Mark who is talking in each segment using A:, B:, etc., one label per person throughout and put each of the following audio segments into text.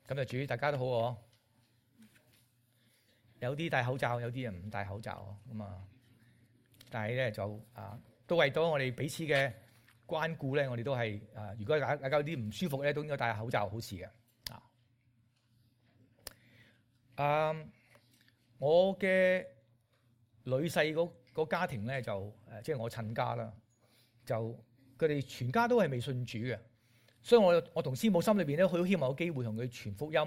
A: 咁就主大家都好喎，有啲戴口罩，有啲人唔戴口罩咁啊。但係咧就都為咗我哋彼此嘅關顧咧，我哋都係如果大家有啲唔舒服咧，都應該戴口罩，好事嘅我嘅女婿嗰家庭咧就即係我親家啦，就佢哋全家都係未信主嘅，所以我同師母心裏邊咧，好希望有機會同佢傳福音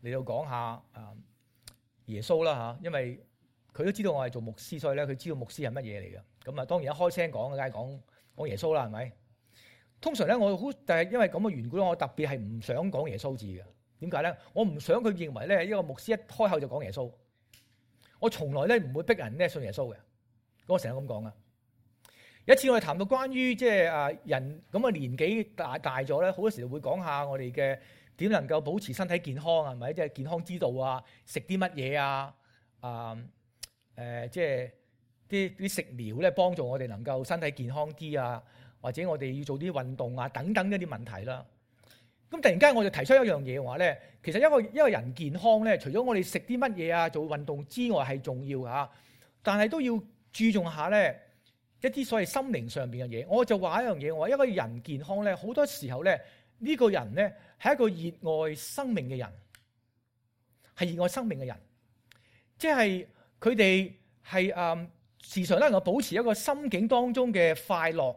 A: 嚟到講下耶穌啦嚇，因為佢都知道我係做牧師，所以咧佢知道牧師係乜嘢嚟嘅。咁當然一開聲講，梗係講耶穌啦，係咪？通常咧但係因為咁嘅緣故，我特別係唔想講耶穌字嘅。點解咧？我唔想佢認為咧，一個牧師一開口就講耶穌。我從來咧唔會逼人咧信耶穌嘅。我成日咁講啊。有一次我哋談到關於即係人咁嘅年紀大咗咧，好多時會講下我哋嘅點能夠保持身體健康，係咪？即係健康之道啊，食啲乜嘢啊？即係啲食療咧，幫助我哋能夠身體健康啲啊，或者我哋要做啲運動啊，等等一啲問題啦。咁突然間我就提出一樣嘢話咧，其實一個人健康咧，除咗我哋食啲乜嘢啊，做運動之外係重要嚇，但係都要注重下咧一啲所謂心靈上邊嘅嘢。我就話一樣嘢，我話一個人健康咧，好多時候咧呢個人咧係一個熱愛生命嘅人，係熱愛生命嘅人，即係佢哋係時常能夠保持一個心境當中嘅快樂。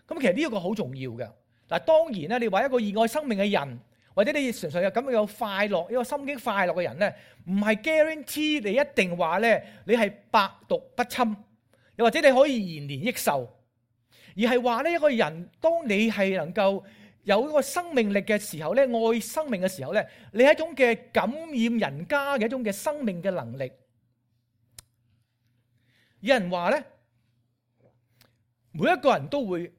A: 咁其實呢一個好重要嘅。嗱，當然咧，你話一個熱愛生命嘅人，或者你常常有咁樣有快樂、一個心境快樂嘅人咧，唔係 guarantee 你一定話咧，你係百毒不侵，又或者你可以延年益壽，而係話呢一個人，當你係能夠有一個生命力嘅時候咧，愛生命嘅時候咧，你係一種嘅感染人家嘅一種嘅生命嘅能力。有人話咧，每一個人都會。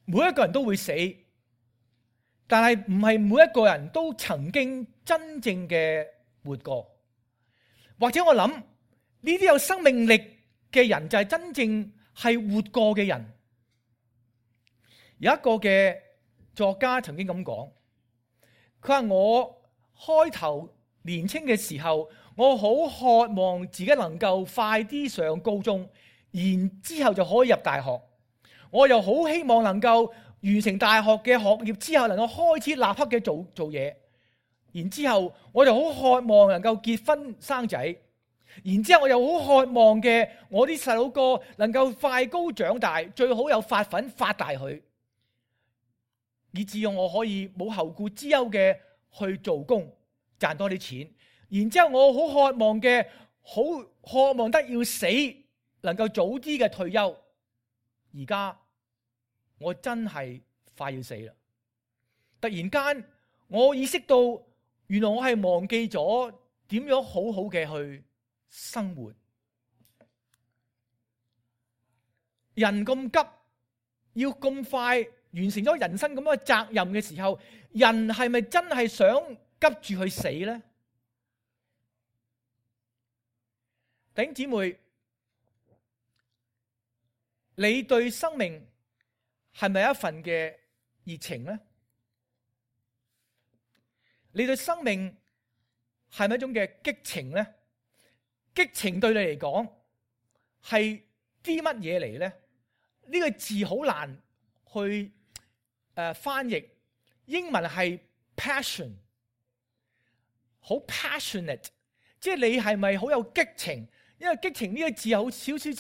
A: 每一個人都會死，但係唔係每一個人都曾經真正嘅活過。或者我諗呢啲有生命力嘅人就係真正係活過嘅人。有一個嘅作家曾經咁講，佢話我開頭年輕嘅時候，我好渴望自己能夠快啲上高中，然之後就可以入大學。我又好希望能夠完成大學嘅學業之後，能夠開始立刻嘅做嘢。然之後我就好渴望能夠結婚生仔。然之後我又好渴望嘅，我啲細佬哥能夠快高長大，最好有發奮發大佢，以至我可以冇後顧之憂嘅去做工賺多啲錢。然之後我好渴望嘅，好渴望得要死，能夠早啲嘅退休。而家我真係快要死啦！突然間我意識到，原來我係忘記咗點樣好好嘅去生活。人咁急，要咁快完成咗人生咁嘅責任嘅時候，人係咪真係想急住去死呢？弟兄姊妹，你對生命係咪一份嘅熱情呢？你對生命係咪一種嘅激情呢？激情對你嚟講係啲乜嘢嚟呢？呢個字好難去翻譯。英文係 passion， 好 passionate， 即係你係咪好有激情？因為激情呢個字有少少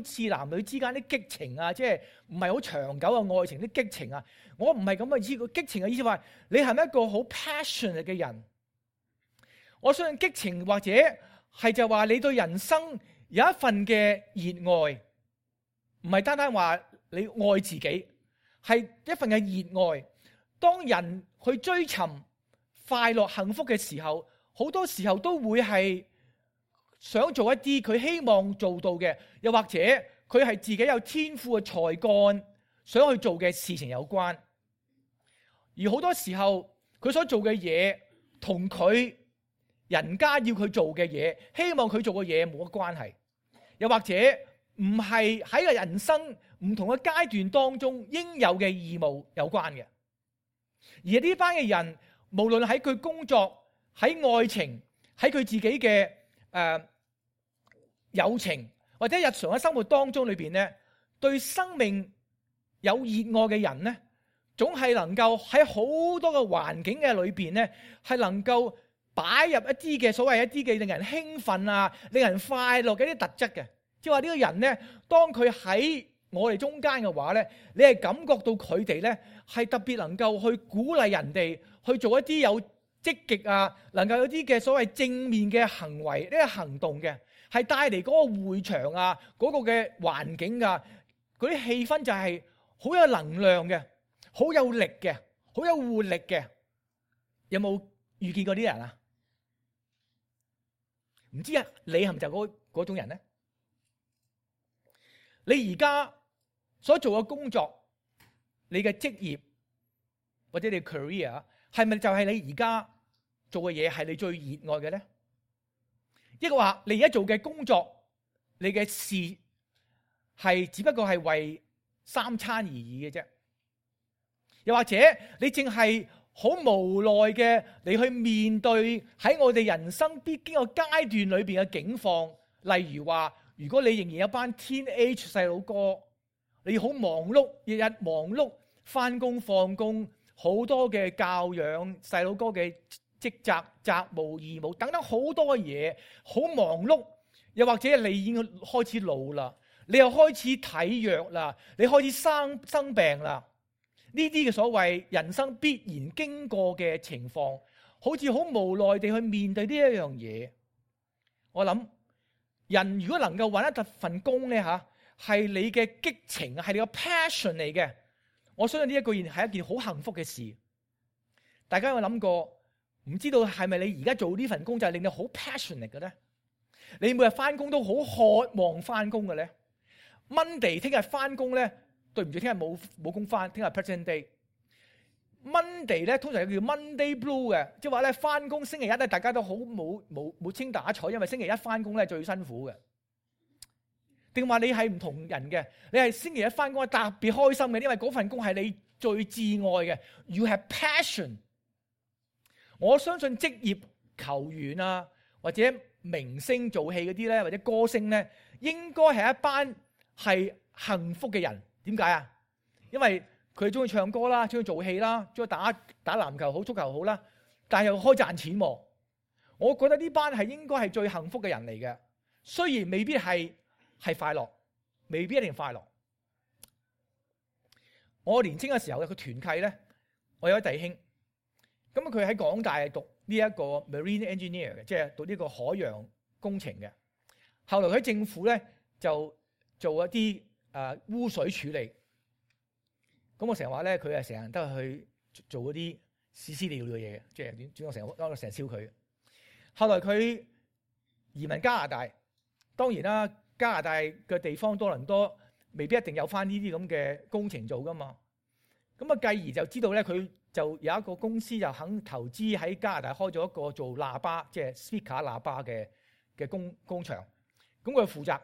A: 似男女之間啲激情啊，即係唔係好長久嘅愛情啲激情啊。我唔係咁嘅意思，激情嘅意思話你係咪一個好 passionate 嘅人？我相信激情或者係就話你對人生有一份嘅熱愛，唔係單單話你愛自己，係一份嘅熱愛。當人去追尋快樂幸福嘅時候，好多時候都會係想做一啲佢希望做到嘅，又或者佢係自己有天賦嘅才幹想去做嘅事情有關。而好多時候佢所做嘅嘢同佢人家要佢做嘅嘢，希望佢做嘅嘢冇乜關係，又或者唔係喺個人生唔同嘅階段當中應有嘅義務有關嘅。而呢班嘅人，無論喺佢工作、喺愛情、喺佢自己嘅友情或者日常嘅生活當中裏邊咧，對生命有熱愛嘅人咧，總係能夠喺好多嘅環境嘅裏邊咧，係能夠擺入一啲嘅所謂一啲嘅令人興奮啊、令人快樂嘅一啲特質嘅。即係話呢個人咧，當佢喺我哋中間嘅話咧，你係感覺到佢哋咧係特別能夠去鼓勵人哋去做一啲有積極啊，能夠有啲嘅所謂正面嘅行為呢個行動嘅，係帶嚟嗰個會場啊、嗰個嘅環境啊、嗰啲氣氛就係好有能量嘅、好有力嘅、好有活力嘅。有冇遇見過啲人啊？唔知啊，你係咪就嗰種人咧？你而家所做嘅工作，你嘅職業或者你嘅 career， 係咪就係你而家做嘅嘢係你最熱愛嘅咧？抑或話你而家做嘅工作，你嘅事係只不過係為三餐而已嘅啫？又或者你淨係好無奈嘅你去面對喺我哋人生必經嘅階段裏邊嘅境況，例如話，如果你仍然有班 teenage 細佬哥，你好忙碌，日日忙碌，翻工放工，好多嘅教養細佬哥嘅職責、責務、義務等等好多嘢，好忙碌。又或者你已經開始老啦，你又開始體弱啦，你開始生病啦。呢啲嘅所謂人生必然經過嘅情況，好似好無奈地去面對呢一樣嘢。我諗人如果能夠揾一份工咧嚇，係你嘅激情，係你個 passion 嚟嘅，我相信呢一個係一件好幸福嘅事。大家有冇諗過？唔知道係咪你而家做呢份工就係令你好 passionate 嘅咧？你每日翻工都好渴望翻工嘅咧？Monday 聽日翻工咧？對唔住，聽日冇工翻，聽日 present day。Monday 咧通常叫 Monday Blue 嘅，即係話咧翻工星期一咧大家都好冇清打彩，因為星期一翻工咧最辛苦嘅。定話你係唔同人嘅，你係星期一翻工係特別開心嘅，因為嗰份工係你最至愛嘅。You have passion。我相信職業球員啊，或者明星做戲嗰啲咧，或者歌星咧，應該係一班係幸福嘅人。點解啊？因為佢中意唱歌啦，中意做戲啦，中意打籃球好、足球好啦，但係又開賺錢喎。我覺得呢班係應該係最幸福嘅人嚟嘅。雖然未必係快樂，未必一定快樂。我年青嘅時候嘅個團契咧，我有位弟兄，咁佢喺港大讀呢一個 marine engineer 嘅，即係讀呢個海洋工程嘅。後來喺政府咧就做一啲污水處理，咁我成日話咧，佢係成日都係去做嗰啲屎屎尿尿嘅嘢嘅，即係點？我成日笑佢。後來佢移民加拿大，當然啦，加拿大嘅地方多倫多未必一定有翻呢啲咁嘅工程做噶嘛。咁啊，繼而就知道咧，佢就有一個公司就肯投資喺加拿大開咗一個做喇叭，即係 speaker 喇叭嘅工場。咁佢負責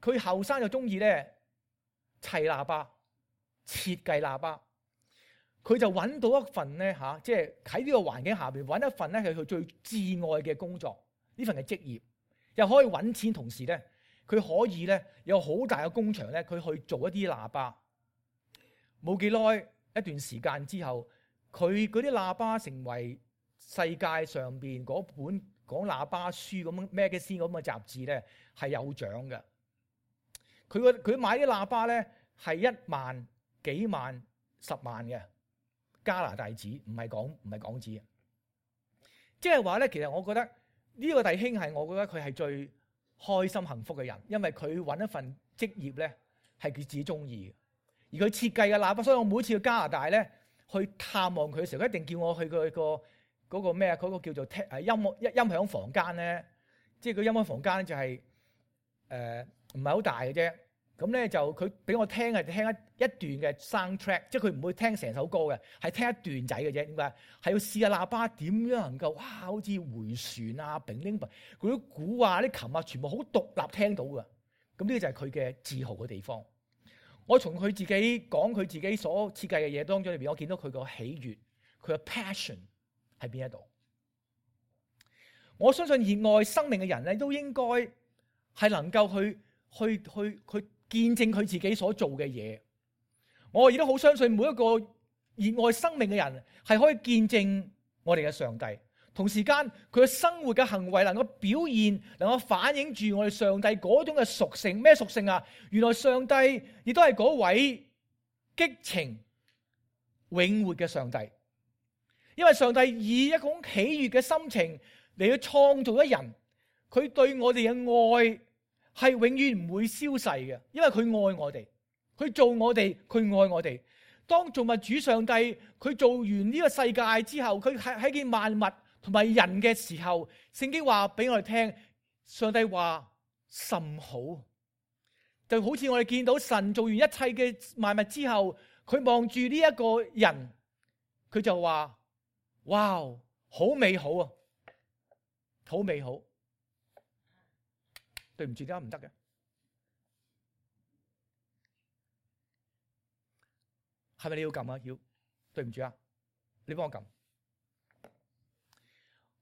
A: 佢後生就中意咧砌喇叭、設計喇叭，佢就揾到一份咧即係喺呢個環境下邊揾一份咧係佢最至愛嘅工作，呢份嘅職業又可以揾錢，同時咧佢可以咧有好大嘅工場咧，佢去做一啲喇叭。冇幾耐一段時間之後，佢嗰啲喇叭成為世界上邊嗰本講喇叭書咁 magazine 咁嘅雜誌咧係有獎嘅。佢買啲喇叭咧係1萬幾萬、10萬嘅加拿大紙，唔係港紙。即係話咧，其實我覺得呢個弟兄係我覺得佢係最開心幸福嘅人，因為佢揾一份職業咧係佢自己中意嘅，而佢設計嘅喇叭，所以我每次去加拿大咧去探望佢嘅時候，一定叫我去佢嗰個咩啊？嗰個叫做音響房間咧，即係個音響房間就係唔係好大嘅啫。咁咧就佢俾我聽係聽一段嘅 soundtrack， 即係佢唔會聽成首歌嘅，係聽一段仔嘅啫。點解？係要試下喇叭點樣能夠哇，好似回旋啊、乒鈴嗰啲鼓啊、啲琴啊，全部好獨立聽到嘅。咁呢個就係佢嘅自豪嘅地方。我從佢自己講佢自己所設計嘅嘢當中裏邊，我見到佢個喜悅，佢嘅 passion 喺邊一度。我相信熱愛生命嘅人咧，都應該係能夠去見證佢自己所做嘅嘢。我亦都好相信每一個熱愛生命嘅人係可以見證我哋嘅上帝。同時間佢嘅生活嘅行為能夠表現，能夠反映住我哋上帝嗰種嘅屬性。咩屬性啊？原來上帝亦都係嗰位激情永活嘅上帝。因為上帝以一種喜悅嘅心情嚟去創造一人，佢對我哋嘅愛係永遠唔會消逝嘅，因為佢愛我哋，佢做我哋，佢愛我哋。當造物主上帝佢做完呢個世界之後，佢喺見萬物同埋人嘅時候，聖經話俾我哋聽，上帝話甚好，就好似我哋見到神做完一切嘅萬物之後，佢望住呢一個人，佢就話：哇，好美好啊，好美好。對唔住，點解唔得嘅？係咪你要撳啊？要，對唔住啊，你幫我撳。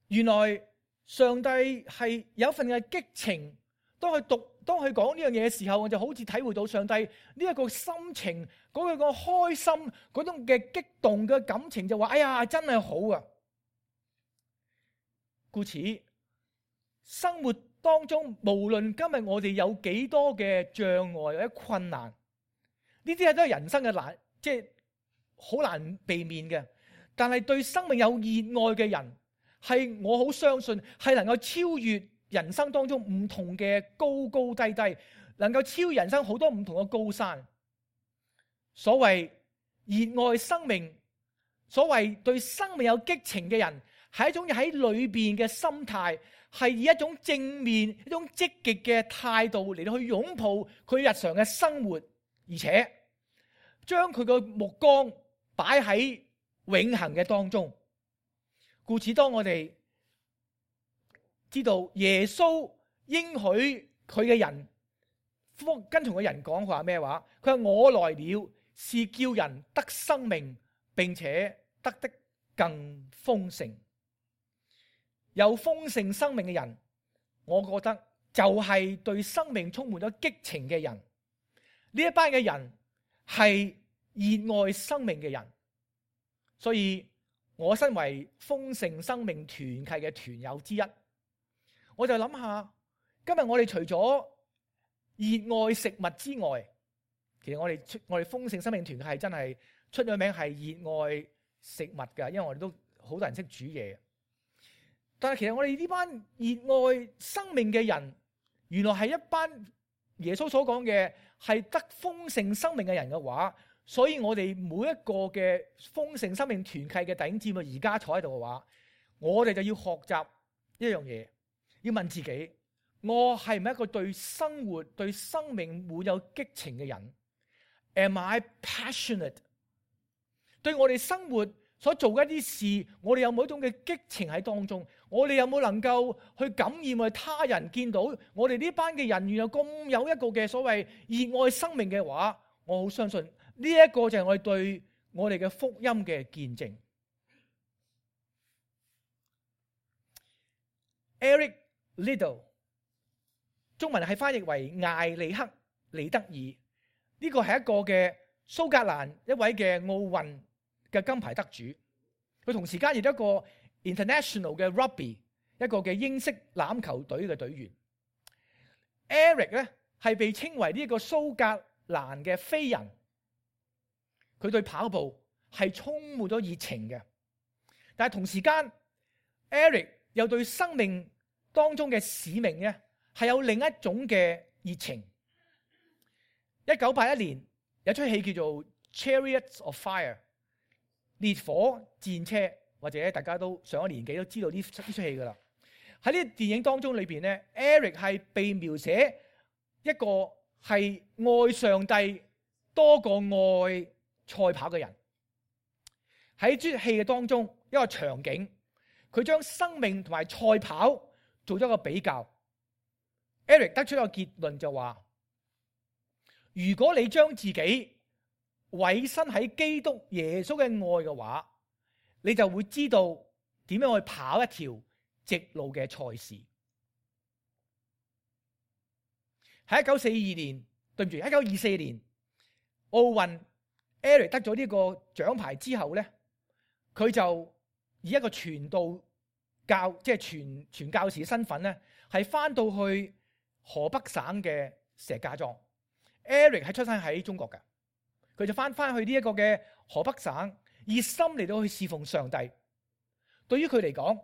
A: 原來上帝係有一份嘅激情，當佢講呢樣嘢嘅時候，我就好似體會到上帝呢一個心情，嗰個開心，嗰種嘅激動嘅感情，就話：哎呀，真係好啊！故此，生活當中無論今日我哋有幾多嘅障礙或者困難，呢啲都係人生嘅難，即係好難避免嘅。但係對生命有熱愛嘅人，係我好相信係能夠超越人生當中唔同嘅高高低低，能夠超越人生好多唔同嘅高山。所謂熱愛生命，所謂對生命有激情嘅人，係一種喺裏邊嘅心態，係以一種正面、一種積極嘅態度嚟到去擁抱佢日常嘅生活，而且將佢個目光擺喺永恆嘅當中。故此，當我哋知道耶穌應許佢嘅人，跟從嘅人講話咩話？佢話：我來了，是叫人得生命，並且得的更豐盛。有豐盛生命嘅人，我覺得就係對生命充滿咗激情嘅人。呢一班嘅人係熱愛生命嘅人，所以我身為豐盛生命團契嘅團友之一，我就諗下，今日我哋除咗熱愛食物之外，其實我哋豐盛生命團契係真係出咗名係熱愛食物㗎，因為我哋都好多人識煮嘢。但係其實我哋呢班熱愛生命嘅人，原來係一班耶穌所講嘅係得豐盛生命嘅人嘅話，所以我哋每一個嘅豐盛生命團契嘅弟兄姊妹而家坐喺度嘅話，我哋就要學習一樣嘢，要問自己：我係唔係一個對生活、對生命滿有激情嘅人 ？Am I passionate？ 對我哋生活所做嘅一啲事，我哋有冇一種嘅激情喺當中？我哋有冇能夠去感染我哋他人見到我哋呢班嘅人原來咁有一個嘅所謂熱愛生命嘅話，我好相信呢一個就係我哋對我哋嘅福音嘅見證。Eric Liddell 中文係翻譯為艾利克利德爾，呢個係一個嘅蘇格蘭一位嘅奧運嘅金牌得主，佢同時間亦都一個 international 嘅 rugby 一個嘅英式欖球隊嘅隊員。Eric 咧係被稱為呢一個蘇格蘭嘅飛人，佢對跑步係充滿咗熱情嘅，但係同時間 Eric 又對生命當中嘅使命咧係有另一種嘅熱情。1981年有出戲叫做 Chariots of Fire 烈火戰車，或者大家都上咗年紀都知道呢出戲噶啦。喺呢個電影當中裏邊咧 ，Eric 係被描寫一個係愛上帝多過愛賽跑嘅人。喺出戲嘅當中一個場景，佢將生命同埋賽跑做咗一個比較。Eric 得出一個結論就話：如果你將自己委身喺基督耶穌嘅愛嘅話，你就會知道點樣去跑一條直路嘅賽事。喺1942年，對唔住，1924年奧運 Eric 得咗呢個獎牌之後咧，佢就以一個傳道教即係傳教士嘅身份咧，係翻到去河北省嘅石家莊。Eric 係出生喺中國嘅，佢就翻去呢一個嘅河北省，熱心嚟到去侍奉上帝。對於佢嚟講，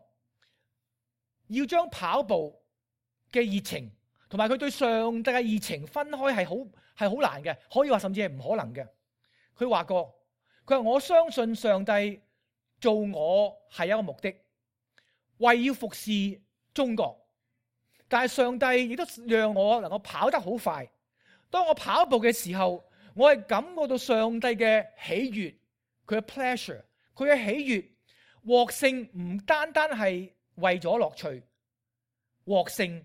A: 要將跑步嘅熱情同埋佢對上帝嘅熱情分開係好難嘅，可以話甚至係唔可能嘅。佢話過，佢話我相信上帝做我係一個目的，為要服侍中國。但係上帝亦都讓我能夠跑得好快。當我跑步嘅時候，我係感覺到上帝嘅喜悅，佢嘅 pleasure， 佢嘅喜悅。獲勝唔單單係為咗樂趣，獲勝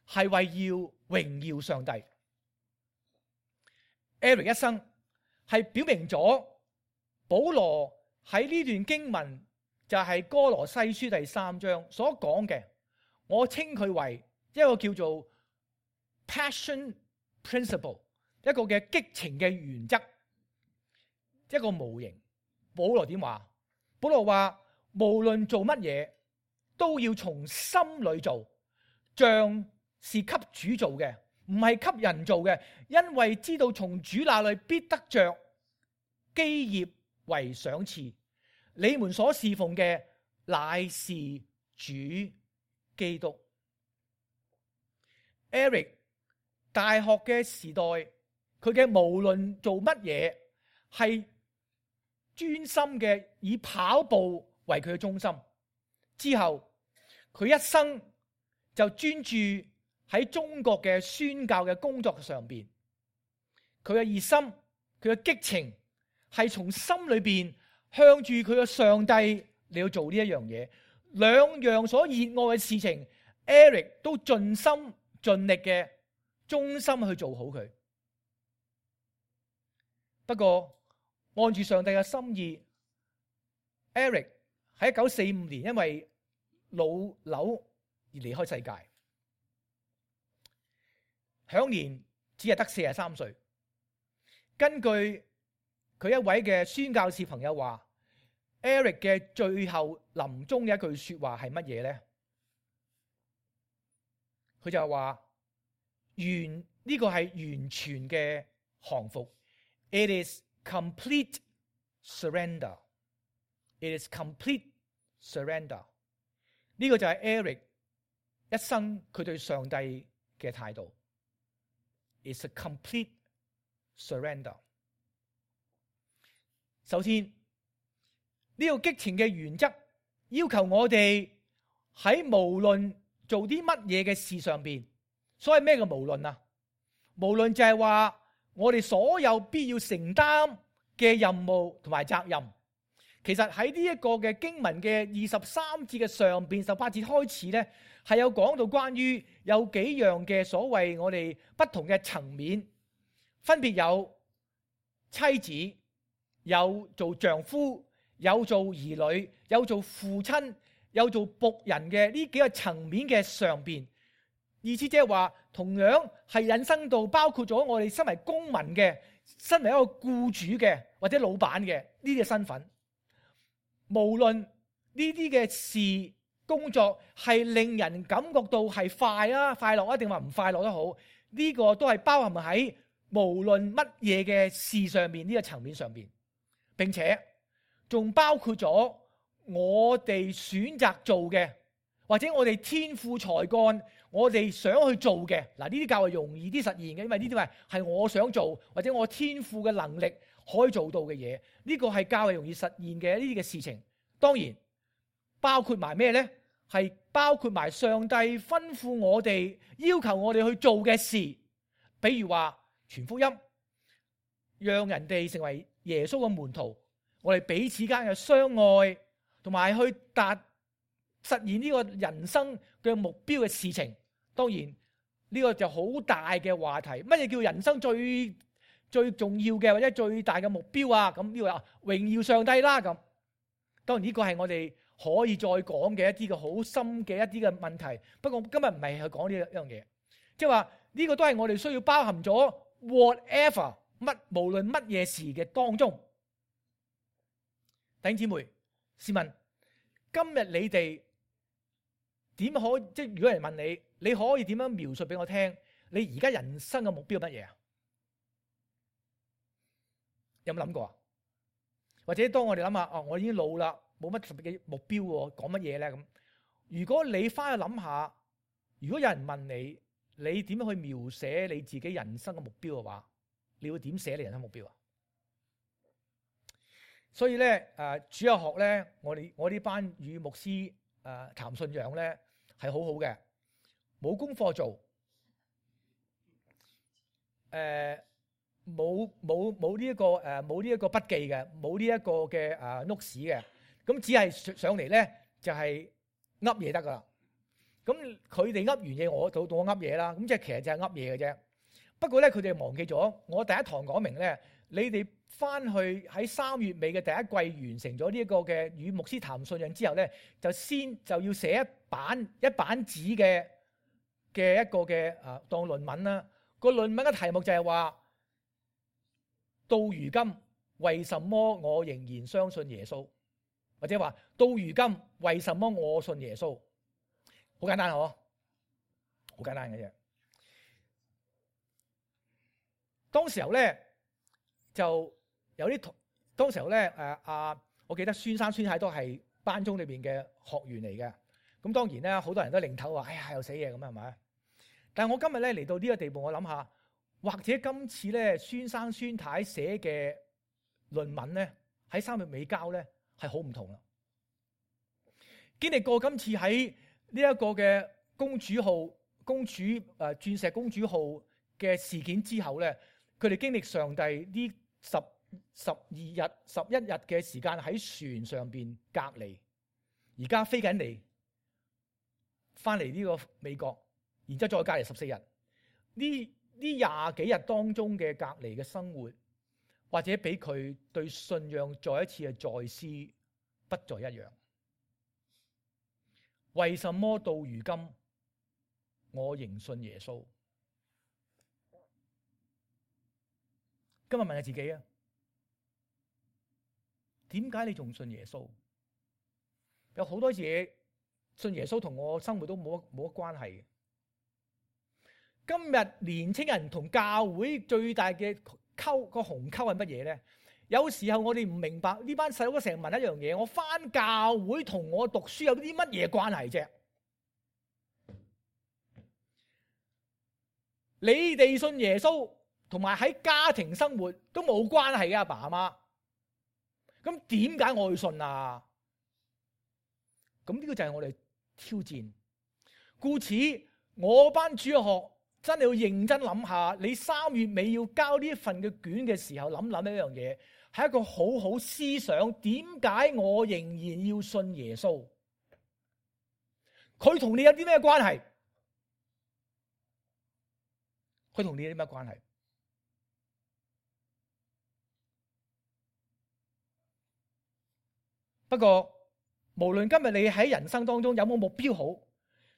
A: 係為要榮耀上帝。Eric 一生係表明咗保羅喺呢段經文就係哥羅西書第3章所講嘅，我稱佢為一個叫做 passion principle， 一個嘅激情嘅原則，一個模型。保羅點話？保羅話無論做乜嘢都要從心裏做，像是給主做嘅，唔係給人做嘅，因為知道從主那裏必得着基業為賞賜。你們所侍奉嘅乃是主基督。Eric 大學嘅時代，佢嘅無論做乜嘢係專心嘅以跑步為佢嘅中心。之後佢一生就專注喺中國嘅宣教嘅工作上邊。佢嘅熱心，佢嘅激情係從心裏邊向住佢嘅上帝嚟到做呢一樣嘢。兩樣所熱愛嘅事情 Eric 都盡心盡力嘅忠心去做好佢。不過按住上帝嘅心意， Eric 喺1945年因為腦瘤而離開世界，享年只係得43歲。根據佢一位嘅宣教士朋友話， Eric 嘅最後臨終嘅一句說話係乜嘢呢？佢就話呢個係完全嘅降服。 It is complete surrender. It is complete surrender. 呢個就係 Eric 一生佢對上帝嘅態度。It's a complete surrender. 首先，呢個激情嘅原則要求我哋喺無論做啲乜嘢嘅事上邊，所謂咩嘅無論啊？無論就係話我哋所有必要承擔嘅任務同埋責任。其實喺呢一個嘅經文嘅23節嘅上邊18節開始咧，係有講到關於有幾樣嘅所謂我哋不同嘅層面，分別有妻子，有做丈夫，有做兒女，有做父親，有做僕人嘅呢幾個層面嘅上邊。意思即係話，同樣係引申到包括咗我哋身為公民嘅，身為一個僱主嘅或者老闆嘅呢啲身份。無論呢啲嘅事工作係令人感覺到係快樂啊，定話唔快樂都好，呢個都係包含喺無論乜嘢嘅事上面呢個層面上邊，並且仲包括咗我哋選擇做嘅，或者我哋天賦才幹，我哋想去做嘅。嗱，呢啲較為容易啲實現嘅，因為呢啲係我想做或者我天賦嘅能力可以做到嘅嘢，呢個係較為容易實現嘅呢啲嘅事情。當然包括埋咩呢？係包括埋上帝吩咐我哋要求我哋去做嘅事，比如話傳福音，讓人哋成為耶穌嘅門徒，我哋彼此間嘅相愛，同埋去實現呢個人生嘅目標嘅事情。當然呢個就好大嘅話題，乜嘢叫人生最最重要嘅或者最大嘅目標啊？咁呢個榮耀上帝啦。咁當然呢個係我哋可以再講嘅一啲嘅好深嘅一啲嘅問題。不過今日唔係去講呢一樣嘢，即係話呢個都係我哋需要包含咗 whatever 無論乜嘢事嘅當中。弟兄姊妹，試問今日你哋點可即係如果有人問你，你可以點樣描述俾我聽？你而家人生嘅目標係乜嘢啊？有冇諗過啊？或者當我哋諗下，我已經老啦，冇乜特別嘅目標喎，講乜嘢咧？咁如果你翻去諗下，如果有人問你，你點樣去描寫你自己人生嘅目標嘅話，你會點寫你人生目標啊？所以咧，主日學咧，我呢班與牧師談信仰咧係好好嘅，冇功課做，冇呢一個筆記嘅，冇呢一個嘅notes嘅，咁只係上嚟咧就係噏嘢得噶啦。咁佢哋噏完嘢，我到我噏嘢啦。咁即係其實就係噏嘢嘅啫。不過咧，佢哋忘記咗我第一堂講明咧，你哋翻去喺3月尾嘅第一季完成咗呢一個嘅與牧師談信仰之後咧，就要寫一版紙嘅一個嘅當論文啦。個論文嘅題目就係話，到如今為什麼我仍然相信耶穌，或者話到如今為什麼我信耶穌。好簡單嗬，好簡單嘅啫。當時候咧就有啲當時候咧我記得孫生孫太都係班中裏邊嘅學員嚟嘅。咁當然咧，好多人都擰頭話：哎呀，又死嘢咁係咪？但係我今日咧嚟到呢個地步，我諗下，或者今次咧孫生孫太寫嘅論文咧喺3月尾交咧係好唔同啦。經歷過今次喺呢一個嘅鑽石公主號嘅事件之後咧，佢哋經歷上帝呢11日嘅時間喺船上邊隔離，而家飛緊嚟翻嚟呢個美國，然之後再隔離14日。呢20幾日當中嘅隔離嘅生活，或者俾佢對信仰再一次嘅再思不再一樣。為什麼到如今我仍信耶穌？今日問下自己啊，點解你仲信耶穌？有好多嘢信耶穌同我生活都冇乜關係嘅。今日年青人同教會最大嘅個鴻溝係乜嘢咧？有時候我哋唔明白呢班細佬哥成日問一樣嘢：我返教會同我讀書有啲乜嘢關係啫？你哋信耶穌同埋喺家庭生活都冇關係嘅，阿爸阿媽。咁點解我會信啊？咁呢個就係我哋挑戰。故此，我班主日學真係要認真諗下，你3月尾要交呢一份嘅卷嘅時候，諗一樣嘢，係一個好好思想。點解我仍然要信耶穌？佢同你有啲咩關係？佢同你有啲咩關係？不過，無論今日你喺人生當中有冇目標好，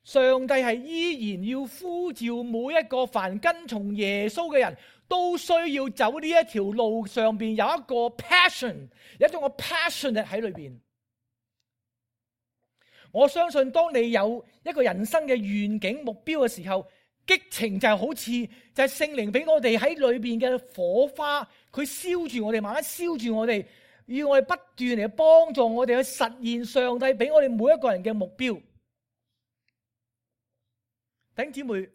A: 上帝係依然要呼召每一個凡跟從耶穌嘅人都需要走呢一條路上邊有一個 passion， 有一種個 passionate 喺裏邊。我相信當你有一個人生嘅願景目標嘅時候，激情就係好似就係聖靈俾我哋喺裏邊嘅火花，佢燒住我哋，慢慢燒住我哋，要我哋不斷嚟幫助我哋去實現上帝俾我哋每一個人嘅目標。弟兄姊妹，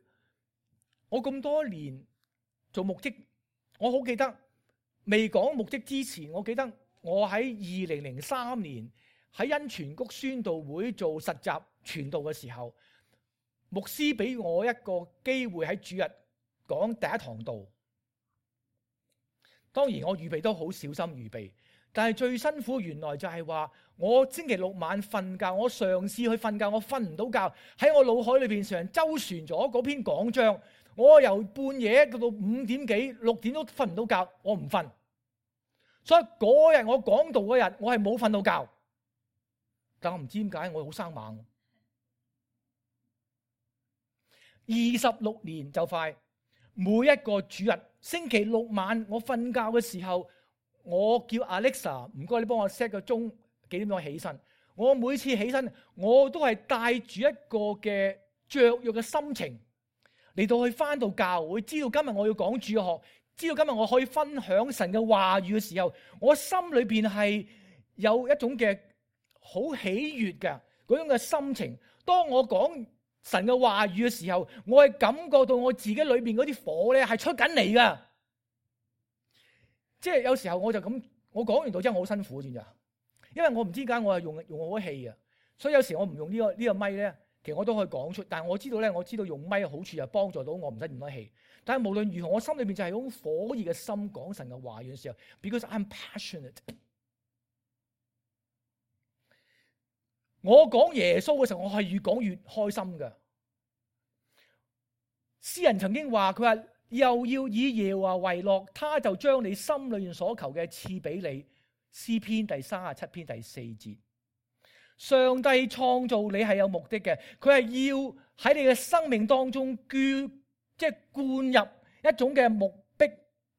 A: 我咁多年做牧職，我好記得未講牧職之前，我記得我喺2003年喺恩泉谷宣道會做實習傳道嘅時候，牧師俾我一個機會喺主日講第一堂道。當然我預備都好小心預備，但係最辛苦原來就係話我星期六晚瞓覺，我嘗試去瞓覺，我瞓唔到覺，喺我腦海裏邊成周旋咗嗰篇講章，我由半夜到5點幾、6點都瞓唔到覺，我唔瞓。所以嗰日我講道嗰日，我係冇瞓到覺。但我唔知點解我好生猛。26年就快，每一個主日星期六晚我瞓覺嘅時候，我叫 Alexa 唔該你幫我 set 個鐘，幾點鐘起身。我每次起身我都係帶住一個嘅雀躍嘅心情嚟到去返到教會，知道今日我要講主學，知道今日我可以分享神嘅話語嘅時候，我心裏邊係有一種嘅好喜悅嘅嗰種嘅心情。當我講神嘅話語嘅時候，我係感覺到我自己裏邊嗰啲火咧係出緊嚟噶。即係有時候我就咁，我講完道之後我好辛苦，知唔知啊？因為我唔知點解我係用我嘅氣啊，所以有時我唔用呢個咪咧，其實我都可以講出。但係我知道咧，我知道用咪嘅好處就幫助到我唔使咁多氣。但係無論如何，我心裏邊就係嗰種火熱嘅心講神嘅話語嘅時候 ，because I'm passionate。我講耶穌嘅時候，我係越講越開心噶。詩人曾經話，佢話又要以耶和華為樂，他就將你心裏面所求嘅賜俾你。詩篇第37篇第4節，上帝創造你係有目的嘅，佢係要喺你嘅生命當中即係灌入一種嘅目的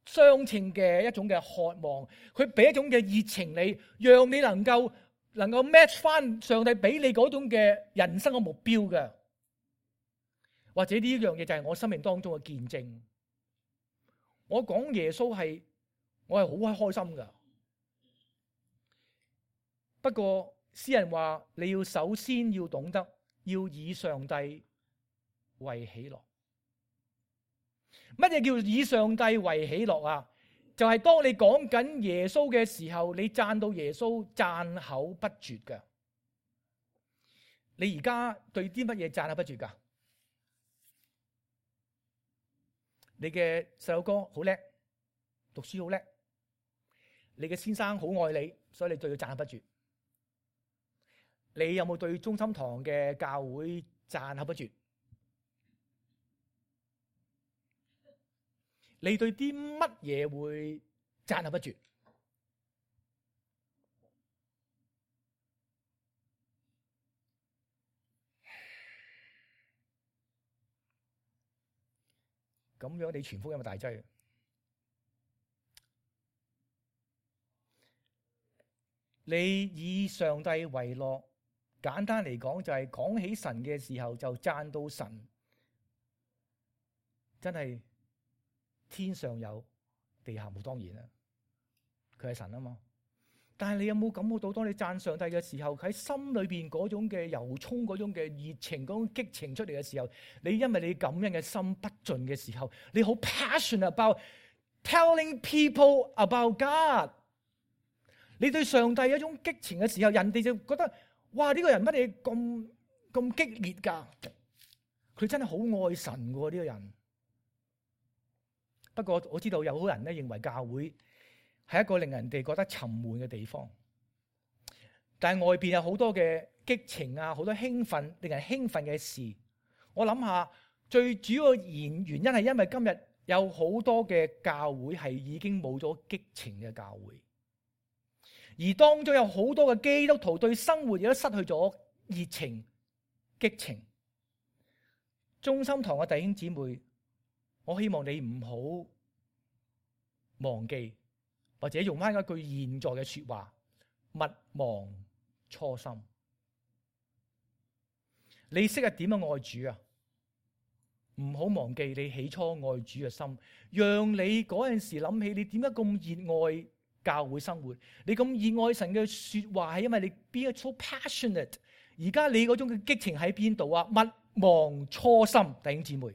A: 相稱嘅一種嘅渴望，佢俾一種嘅熱情你，讓你能夠 match 翻上帝俾你嗰種嘅人生嘅目標嘅。或者呢樣嘢就係我生命當中嘅見證。我講耶穌我係好開心噶。不過詩人話你要首先要懂得要以上帝為喜樂。乜嘢叫以上帝為喜樂啊？就係當你講緊耶穌嘅時候，你讚到耶穌讚口不絕噶。你而家對啲乜嘢讚口不絕噶？你嘅細路哥好叻，讀書好叻，你嘅先生好愛你，所以你對佢讚口不絕。你有冇對中心堂嘅教會讚口不絕？你對啲乜嘢會讚口不絕？咁樣你傳福音咪大劑？你以上帝為樂，簡單嚟講就係講起神嘅時候就讚到神，真係天上有地下冇，當然啦，佢係神啊嘛。但係你有冇感覺到，當你讚上帝嘅時候，喺心裏邊嗰種嘅油沖、嗰種嘅熱情、嗰種激情出嚟嘅時候，你因為你感恩嘅心不盡嘅時候，你好 passionate about telling people about God。你對上帝有一種激情嘅時候，人哋就覺得哇，呢個人乜嘢咁激烈噶？佢真係好愛神噶呢個人。不過我知道有好多人咧認為教會係一個令人哋覺得沉悶嘅地方，但係外邊有好多嘅激情啊，好多興奮，令人興奮嘅事。我諗下最主要原因係因為今日有好多嘅教會係已經冇咗激情嘅教會，而當中有好多嘅基督徒對生活亦都失去咗熱情、激情。中心堂嘅弟兄姊妹，我希望你唔好忘記，或者用翻一句現在嘅說話，勿忘初心。你識得點樣愛主啊？唔好忘記你起初愛主嘅心，讓你嗰陣時諗起你點解咁熱愛教會生活，你咁熱愛神嘅說話，係因為你 be so passionate。而家你嗰種嘅激情喺邊度啊？勿忘初心，弟兄姊妹。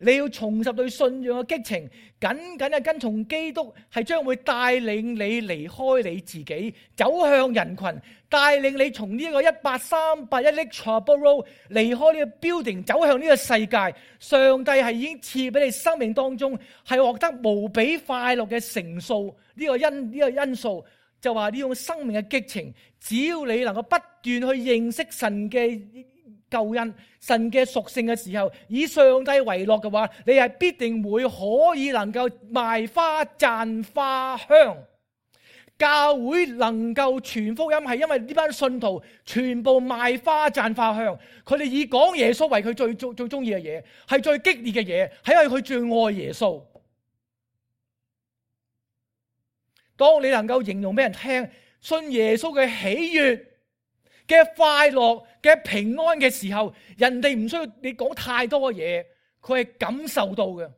A: 你要重拾對信仰嘅激情，緊緊嘅跟從基督，係將會帶領你離開你自己，走向人群，帶領你從呢一個18381 Trabo Road 離開呢個 building，走向呢個世界。上帝係已經賜俾你生命當中係獲得無比快樂嘅成數，呢個因素就話呢種生命嘅激情，只要你能夠不斷去認識神嘅救恩、神嘅屬性嘅時候，以上帝為樂嘅話，你係必定會可以能夠賣花讚花香。教會能夠傳福音，係因為呢班信徒全部賣花讚花香，佢哋以講耶穌為佢最中意嘅嘢，係最激烈嘅嘢，係因為佢最愛耶穌。當你能夠形容俾人聽信耶穌嘅喜悅、嘅快樂、嘅平安嘅時候，人哋唔需要你講太多嘅嘢，佢係感受到嘅。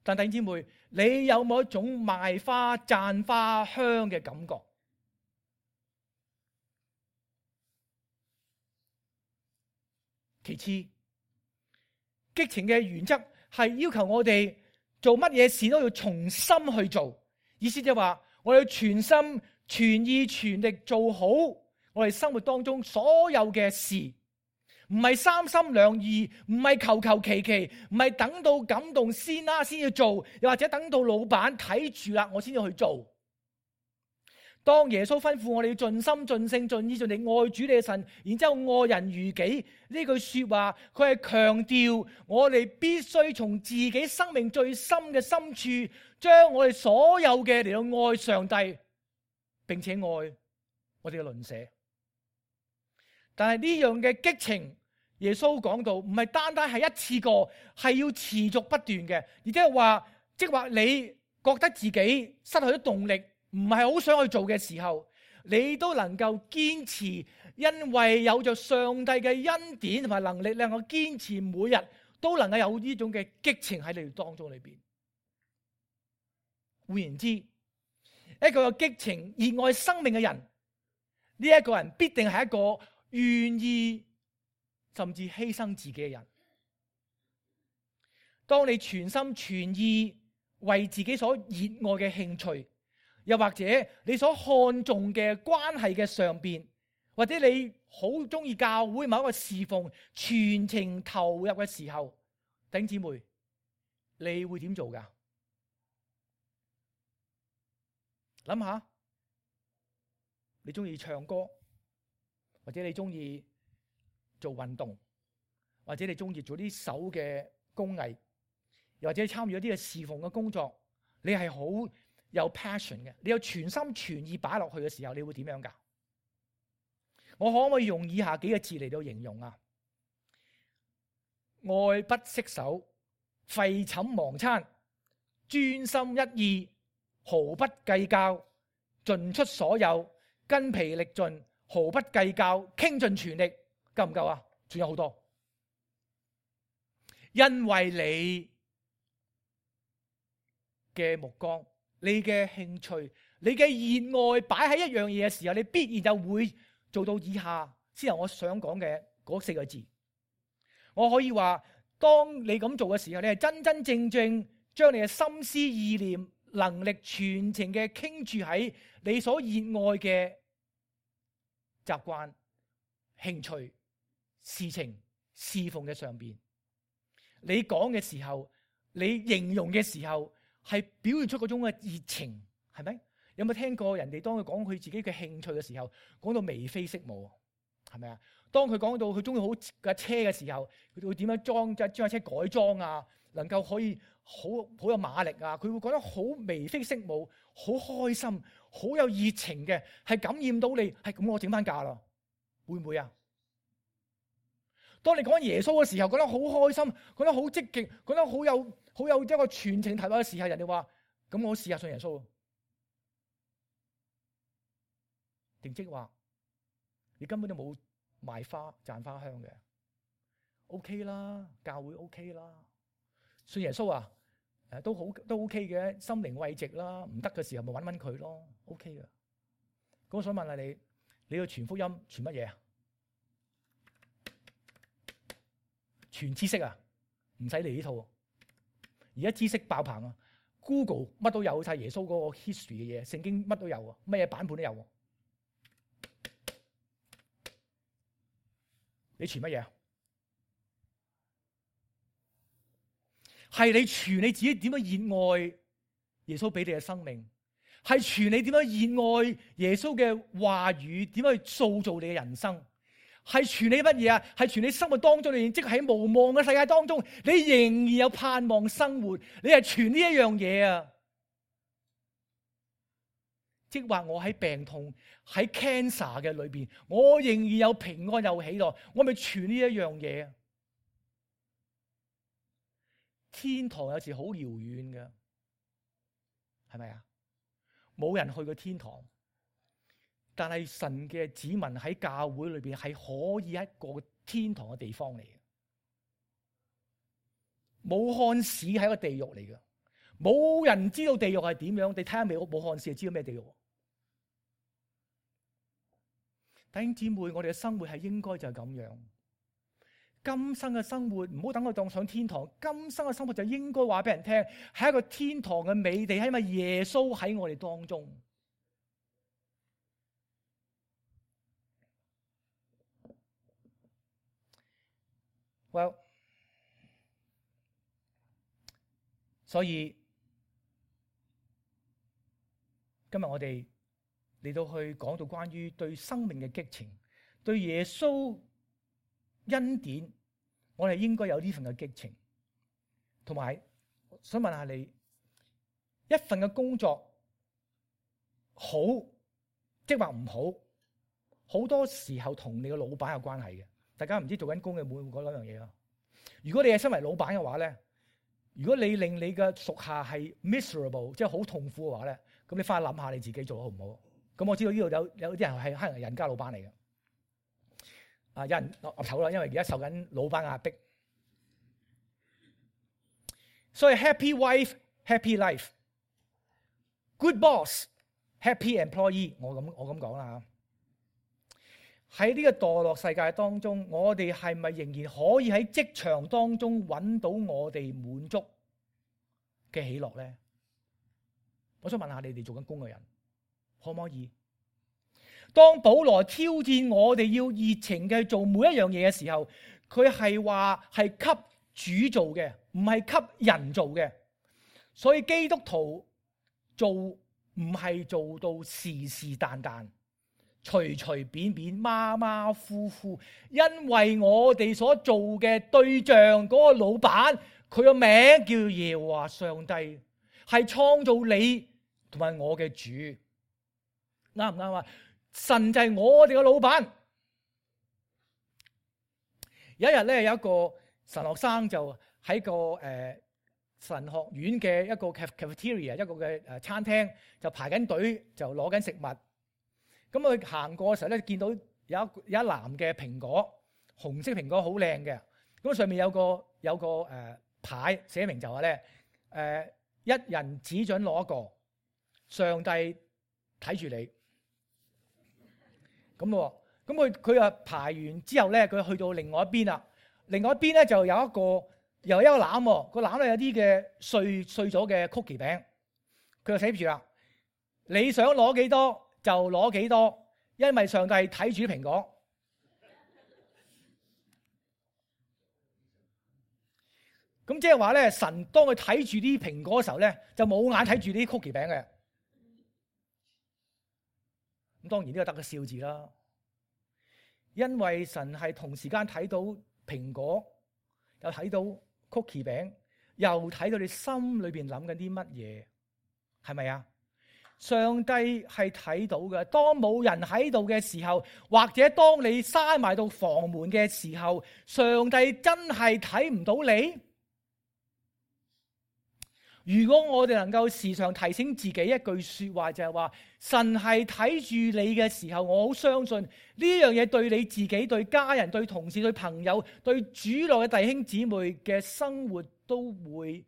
A: 但弟兄姊妹，你有冇一種賣花讚花香嘅感覺？其次，激情嘅原則係要求我哋做乜嘢事都要從心去做，意思即係話我哋要全心全意全力做好我哋生活當中所有嘅事。唔係三心兩意，唔係求求其其，唔係等到感動先要做，又或者等到老闆睇住啦，我先至去做。當耶穌吩咐我哋要盡心盡性盡意盡力愛主你嘅神，然之後愛人如己，呢句說話，佢係強調我哋必須從自己生命最深嘅深處，將我哋所有嘅嚟到愛上帝，並且愛我哋嘅鄰舍。但係呢樣嘅激情，耶穌講到唔係單單係一次過，係要持續不斷嘅，而即係話你覺得自己失去咗動力，唔係好想去做嘅時候，你都能夠堅持，因為有着上帝嘅恩典同埋能力，能夠堅持每日都能夠有呢種嘅激情喺你當中裏邊。換言之，一個有激情、熱愛生命嘅人，呢一個人必定係一個願意甚至犧牲自己嘅人。當你全心全意為自己所熱愛嘅興趣，又或者你所看重嘅關係嘅上邊，或者你好中意教會某一個侍奉，全情投入嘅時候，弟兄姊妹，你會點做噶？諗下，你中意唱歌，或者你中意做運動，或者你中意做啲手嘅工藝，又或者參與一啲嘅侍奉嘅工作，你係好有 passion 嘅，你有全心全意擺落去嘅時候，你會點樣噶？我可唔可以用以下幾個字嚟到形容啊？愛不釋手，廢寢忘餐，專心一意，毫不計較，盡出所有，筋疲力盡，毫不計較，傾盡全力，夠唔夠啊？仲有好多，因為你嘅目光、你嘅興趣、你嘅熱愛擺喺一樣嘢嘅時候，你必然就會做到以下先係我想講嘅嗰4個字。我可以話，當你咁做嘅時候，你係真真正正將你嘅心思意念、能力全程嘅傾注喺你所熱愛嘅習慣、興趣、事情、侍奉嘅上邊。你講嘅時候，你形容嘅時候，係表現出嗰種嘅熱情，係咪？有冇聽過人哋當佢講佢自己嘅興趣嘅時候，講到眉飛色舞，係咪啊？當佢講到佢中意好架車嘅時候，佢會點樣將架車改裝啊？能夠可以好有馬力啊！佢會講得好眉飛色舞，好開心，好有熱情嘅，係感染到你。係咁，我整翻架啦，會唔會啊？當你講耶穌嘅時候，覺得好開心，覺得好積極，覺得好有一個全程投入嘅時候，人哋話：咁我試下信耶穌。定即話你根本都冇賣花讚花香嘅 ，OK 啦，教會 OK 啦，信耶穌啊，都 OK 嘅，心靈慰藉啦，唔得嘅時候咪揾佢咯 ，OK 嘅。咁我想問下你，你要傳福音傳乜嘢啊？傳知識啊？唔使嚟呢套，而家知識爆棚啊 ！Google 乜都有晒耶穌嗰個 history 嘅嘢，聖經乜都有啊，乜嘢版本都有。你傳乜嘢啊？係你傳你自己點樣熱愛耶穌俾你嘅生命，係傳你點樣熱愛耶穌嘅話語，點樣去塑造你嘅人生，係傳你乜嘢啊？係傳你生活當中裏面，即係喺無望嘅世界當中，你仍然有盼望生活。你係傳呢一樣嘢啊！即係話我喺病痛喺 cancer 嘅裏邊，我仍然有平安有喜樂，我咪傳呢一樣嘢啊！天堂有時好遙遠嘅，係咪啊？冇人去過天堂，但係神嘅子民喺教會裏邊係可以一個天堂嘅地方嚟嘅。武漢市係一個地獄嚟嘅，冇人知道地獄係點樣。你睇下未？武漢市就知道咩地獄。弟兄姊妹，我哋嘅生活係應該就係咁樣。今生嘅生活唔好等我當上天堂，今生嘅生活就應該話俾人聽，係一個天堂嘅美地，係因為耶穌喺我哋當中。Well， 所以今日我哋嚟到去講到關於對生命嘅激情，對耶穌恩典，我哋應該有呢份嘅激情。同埋想問下你，一份嘅工作好即係話唔好，好多時候同你嘅老闆有關係嘅。大家唔知做緊工嘅會唔會講兩樣嘢啊？如果你係身為老闆嘅話咧，如果你令你嘅屬下係 miserable， 即係好痛苦嘅話咧，咁你翻去諗下你自己做得好唔好？咁我知道呢度有啲人係可能人家老闆嚟嘅，有人岌頭啦，因為而家受緊老闆壓迫。所以 happy wife happy life，good boss happy employee， 我咁講啦。喺呢個墮落世界當中，我哋係咪仍然可以喺職場當中揾到我哋滿足嘅喜樂咧？我想問下你哋做緊工嘅人，可唔可以？當保羅挑戰我哋要熱情嘅做每一樣嘢嘅時候，佢係話係給主做嘅，唔係給人做嘅。所以基督徒做唔係做到是是但但，隨隨便便，馬馬虎虎，因為我哋所做嘅對象嗰個老闆，佢個名叫耶和華上帝，係創造你同埋我嘅主，啱唔啱啊？神就係我哋嘅老闆。有一日咧，有一個神學生就喺個神學院嘅一個 cafeteria， 一個嘅餐廳就排緊隊，就攞緊食物。咁佢行過嘅時候咧，見到有一籃嘅蘋果，紅色蘋果好靚嘅。咁上面有個牌寫明就話咧，一人只准攞一個，上帝睇住你。咁佢啊排完之後咧，佢去到另外一邊啦。另外一邊咧就有一個籃，個籃咧有啲嘅碎咗嘅曲奇餅。佢就寫住啦，你想攞幾多就攞幾多，因為上帝睇住啲蘋果。咁即係話咧，神當佢睇住啲蘋果嘅時候咧，就冇眼睇住啲曲奇餅嘅。咁當然呢個得個笑字啦，因為神係同時間睇到蘋果，又睇到曲奇餅，又睇到你心裏邊諗緊啲乜嘢，係咪啊？上帝係睇到嘅。當冇人喺度嘅時候，或者當你閂埋到房門嘅時候，上帝真係睇唔到你。如果我哋能夠時常提醒自己一句說話，就係話神係睇住你嘅時候，我好相信呢樣嘢對你自己、對家人、對同事、對朋友、對主內嘅弟兄姊妹嘅生活都會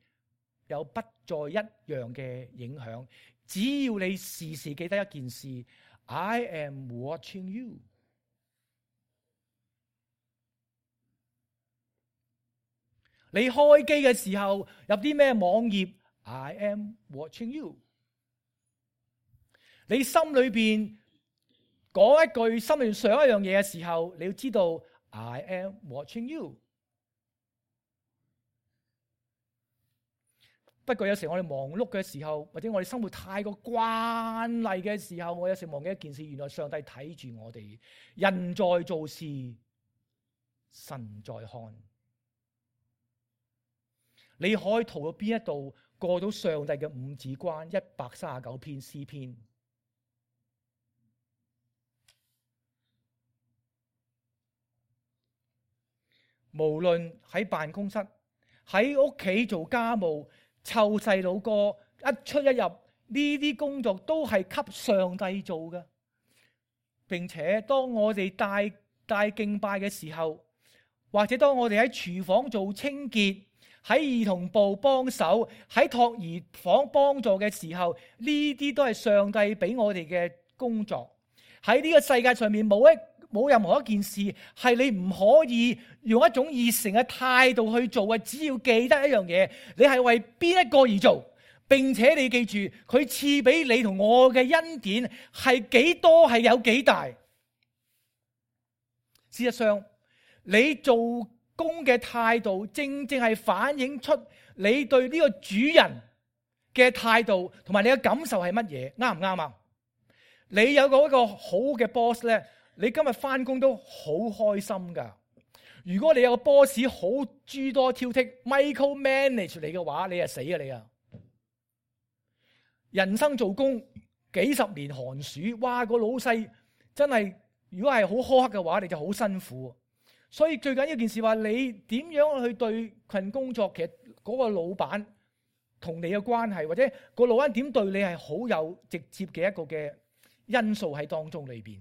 A: 有不再一樣嘅影響。只要你時時記得一件事 ，I am watching you。你開機嘅時候入啲咩網頁 ，I am watching you。你心裏邊講一句，心裏邊想一樣嘢嘅時候，你要知道 I am watching you。不過有時我哋忙碌嘅時候，或者我哋生活太過慣例嘅時候，我有時忘記一件事，原來上帝睇住我哋。人在做事神在看。你可以逃到邊一度過到上帝嘅五指關？139篇詩篇。無論喺辦公室、喺屋企做家務、湊細佬哥，一出一入呢啲工作都係給上帝做嘅。並且當我哋帶敬拜嘅時候，或者當我哋喺廚房做清潔、喺兒童部幫手、喺托兒房幫助嘅時候，呢啲都係上帝俾我哋嘅工作。喺呢個世界上面冇任何一件事係你唔可以用一種熱誠嘅態度去做嘅。只要記得一樣嘢，你係為邊一個而做，並且你記住佢賜俾你同我嘅恩典係幾多，係有幾大。事實上，你做工嘅態度正正係反映出你對呢個主人嘅態度同埋你嘅感受係乜嘢，啱唔啱啊？你有一個好嘅 boss 咧，你今日翻工都好開心噶。如果你有個 boss 好諸多挑剔 ，micro manage 你嘅話，你就死啊你啊！人生做工幾十年寒暑，哇！個老細真係，如果係好苛刻嘅話，你就好辛苦。所以最緊要一件事話，你點樣去對份工作，其實嗰個老闆同你嘅關係，或者個老闆點對你係好有直接嘅一個嘅因素喺當中裏邊。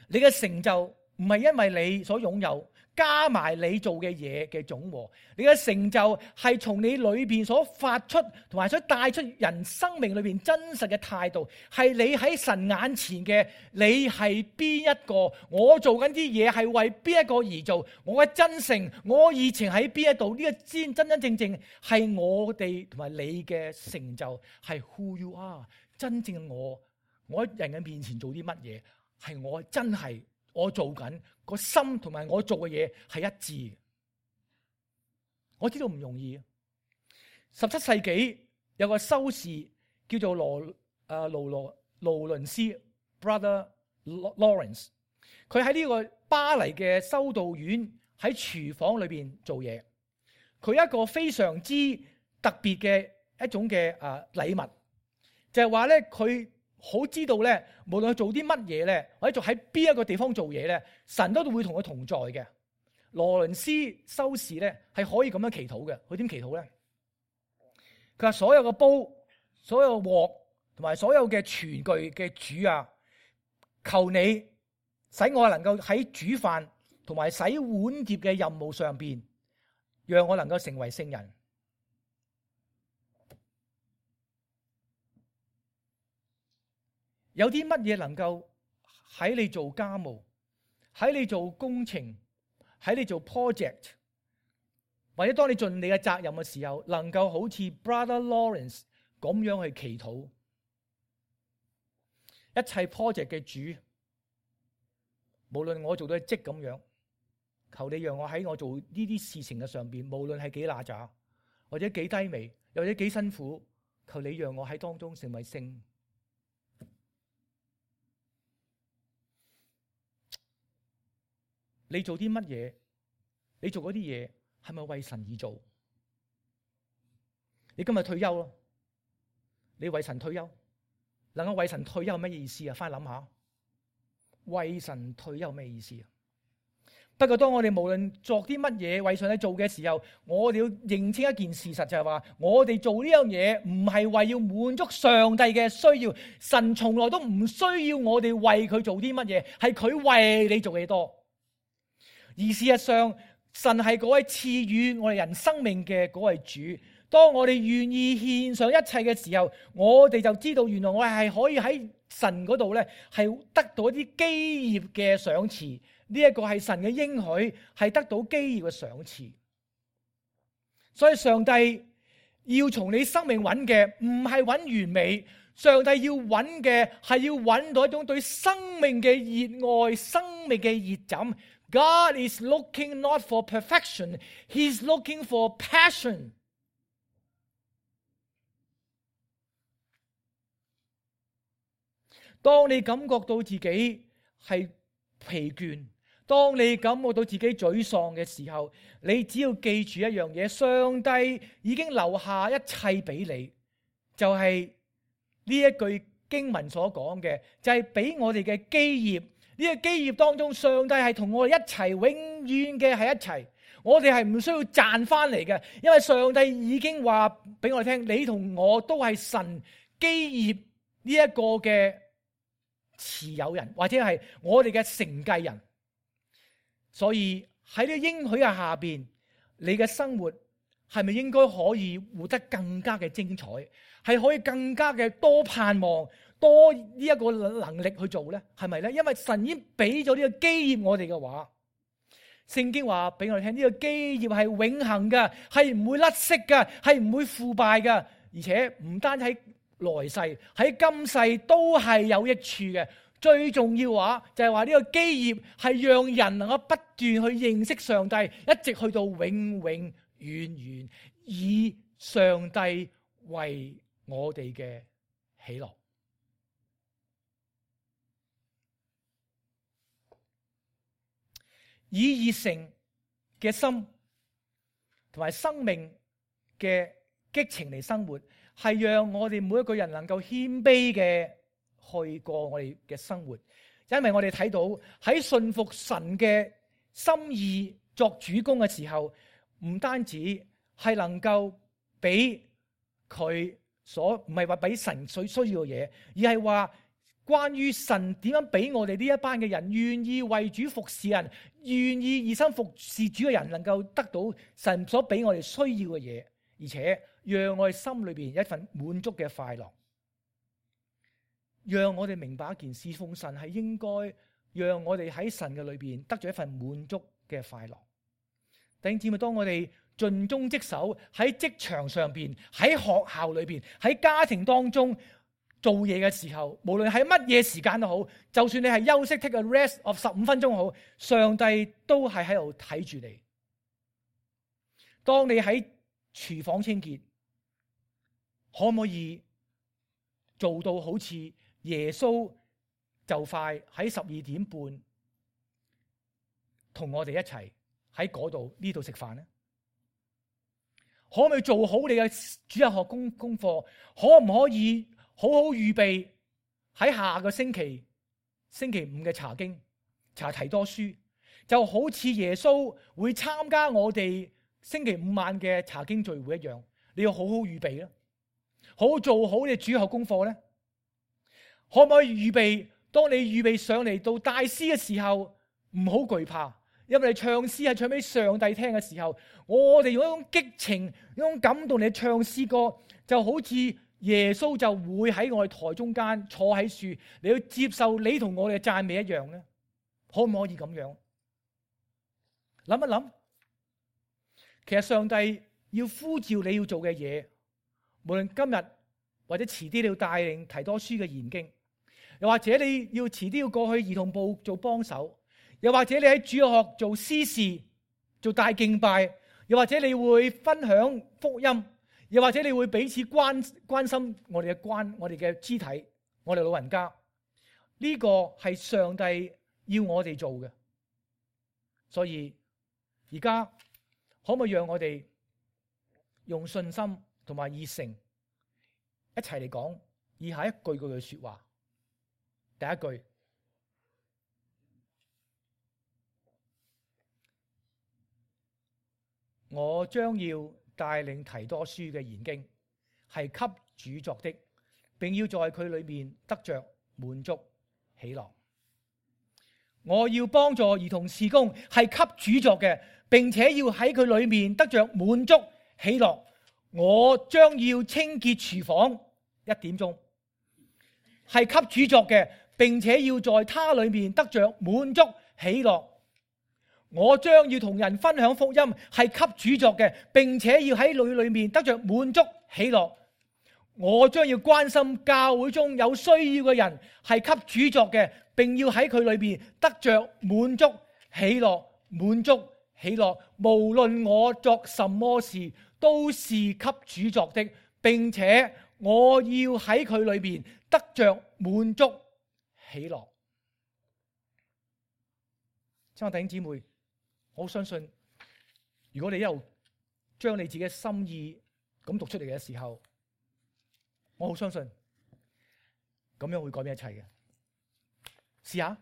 A: 你嘅成就唔係因為你所擁有加埋你做嘅嘢嘅總和，你嘅成就係從你裏邊所發出同埋所帶出人生命裏邊真實嘅態度，係你喺神眼前嘅你係邊一個？我做緊啲嘢係為邊一個而做？我嘅真誠，我熱情喺邊一度？呢個先真真正正係我哋同埋你嘅成就，係 who you are。真正嘅我喺人嘅面前做啲乜嘢？係我真係我做緊個心同埋我做嘅嘢係一致嘅。我知道唔容易。17世紀有個修士叫做勞倫斯 Brother Lawrence， 佢喺呢個巴黎嘅修道院喺廚房裏邊做嘢。佢一個非常之特別嘅一種嘅禮物，就係話咧佢好知道咧，無論佢做啲乜嘢咧，或者做喺邊一個地方做嘢咧，神都會同佢同在嘅。羅倫斯修士咧係可以咁樣祈禱嘅。佢點祈禱咧？佢話所有嘅煲、所有鑊同埋所有嘅廚具嘅主啊，求你使我能夠喺煮飯同埋洗碗碟嘅任務上邊，讓我能夠成為聖人。有啲乜嘢能夠喺你做家務、喺你做工程、喺你做 project， 或者當你盡你嘅責任嘅時候，能夠好似 Brother Lawrence 咁樣去祈禱，一切 project 嘅主，無論我做到職咁樣，求你讓我喺我做呢啲事情嘅上邊，無論係幾乸渣，或者幾低微，又或者幾辛苦，求你讓我喺當中成為聖。你做啲乜嘢？你做嗰啲嘢係咪為神而做？你今日退休咯，你為神退休，能夠為神退休係乜意思啊？翻去諗下，為神退休咩意思啊？不過當我哋無論做啲乜嘢為上帝做嘅時候，我哋要認清一件事實，就係話我哋做呢樣嘢唔係為要滿足上帝嘅需要，神從來都唔需要我哋為佢做啲乜嘢，係佢為你做嘅多。而事實上，神係嗰位賜予我哋人生命嘅嗰位主。當我哋願意獻上一切嘅時候，我哋就知道原來我哋係可以喺神嗰度咧，係得到一啲基業嘅賞賜。呢一個係神嘅應許，係得到基業嘅賞賜。所以上帝要從你生命揾嘅唔係揾完美，上帝要揾嘅係要揾到一種對生命嘅熱愛、生命嘅熱忱。God is looking not for perfection, He's looking for passion. 當你感覺到自己係疲倦，當你感覺到自己沮喪嘅時候，你只要記住一樣嘢，上帝已經留下一切俾你，就係呢一句經文所講嘅，就係俾我哋嘅基業。呢個基業當中，上帝係同我哋一齊，永遠嘅係一齊。我哋係唔需要賺翻嚟嘅，因為上帝已經話俾我哋聽，你同我都係神基業呢一個嘅持有人，或者係我哋嘅承繼人。所以喺呢個應許嘅下邊，你嘅生活係咪應該可以活得更加嘅精彩？係可以更加嘅多盼望，多呢一個能力去做呢？係咪呢？因為神已經俾咗呢個基業我哋嘅話，聖經話俾我哋聽，呢個基業係永恆嘅，係唔會甩色嘅，係唔會腐敗嘅，而且唔單喺來世，喺今世都係有益處嘅。最重要話就係話呢個基業係讓人能夠不斷去認識上帝，一直去到永永遠遠，以上帝為我哋嘅喜樂。以熱誠嘅心同埋生命嘅激情嚟生活，係讓我哋每一個人能夠謙卑嘅去過我哋嘅生活。因為我哋睇到喺信服神嘅心意作主工嘅時候，唔單止係能夠俾佢所唔係話俾神所需要嘅嘢，而係話關於神點樣俾我哋呢一班嘅人願意為主服侍人，願意熱心服侍主嘅人，能夠得到神所俾我哋需要嘅嘢，而且讓我哋心裏邊有一份滿足嘅快樂。讓我哋明白一件事，奉神係應該讓我哋喺神嘅裏邊得咗一份滿足嘅快樂。弟兄姊妹，當我哋盡忠職守喺職場上邊、喺學校裏邊、喺家庭當中做嘢嘅時候，無論喺乜嘢時間都好，就算你係休息 take a rest of 15分鐘好，上帝都係喺度睇住你。當你喺廚房清潔，可唔可以做到好似耶穌就快喺12點半同我哋一齊喺嗰度呢度食飯呢？可唔可以做好你嘅主日學功課？可唔可以好好預備喺下個星期5嘅查經查提多書？就好似耶穌會參加我哋星期5晚嘅查經聚會一樣，你要好好預備啦，好好做好你主日學功課咧。可唔可以預備？當你預備上嚟到大師嘅時候，唔好懼怕，因為你唱詩係唱俾上帝聽嘅時候，我哋用一種激情、用一種感動嚟唱詩歌，就好似耶穌就會喺我哋台中間坐喺樹，你要接受你同我哋嘅讚美一樣咧。可唔可以咁樣？諗一諗，其實上帝要呼召你要做嘅嘢，無論今日或者遲啲你要帶領提多書嘅研經，又或者你要遲啲要過去兒童部做幫手，又或者你喺主日學做司事、做大敬拜，又或者你會分享福音，又或者你會彼此關心我哋嘅肢體，我哋老人家，呢個係上帝要我哋做嘅。所以而家可唔可以讓我哋用信心同埋熱誠一齊嚟講以下一句嘅說話？第一句，我將要帶領提多書嘅研經，係給主作的，並要在佢裏面得着滿足喜樂。我要幫助兒童事工，係給主作嘅，並且要喺佢裏面得着滿足喜樂。我將要清潔廚房，1點鐘，係給主作嘅，並且要在他裏面得着滿足喜樂。我將要同人分享福音，係給主作嘅，並且要喺裏面得着滿足喜樂。我將要關心教會中有需要嘅人，係給主作嘅，並要喺佢裏面得着滿足喜樂。滿足喜樂，無論我作什麼事，都是給主作的，並且我要喺佢裏面得着滿足喜樂。親愛弟兄姊妹，我相信如果你一路將你自己嘅心意咁讀出嚟嘅時候，我好相信咁樣會改變一切嘅。試下。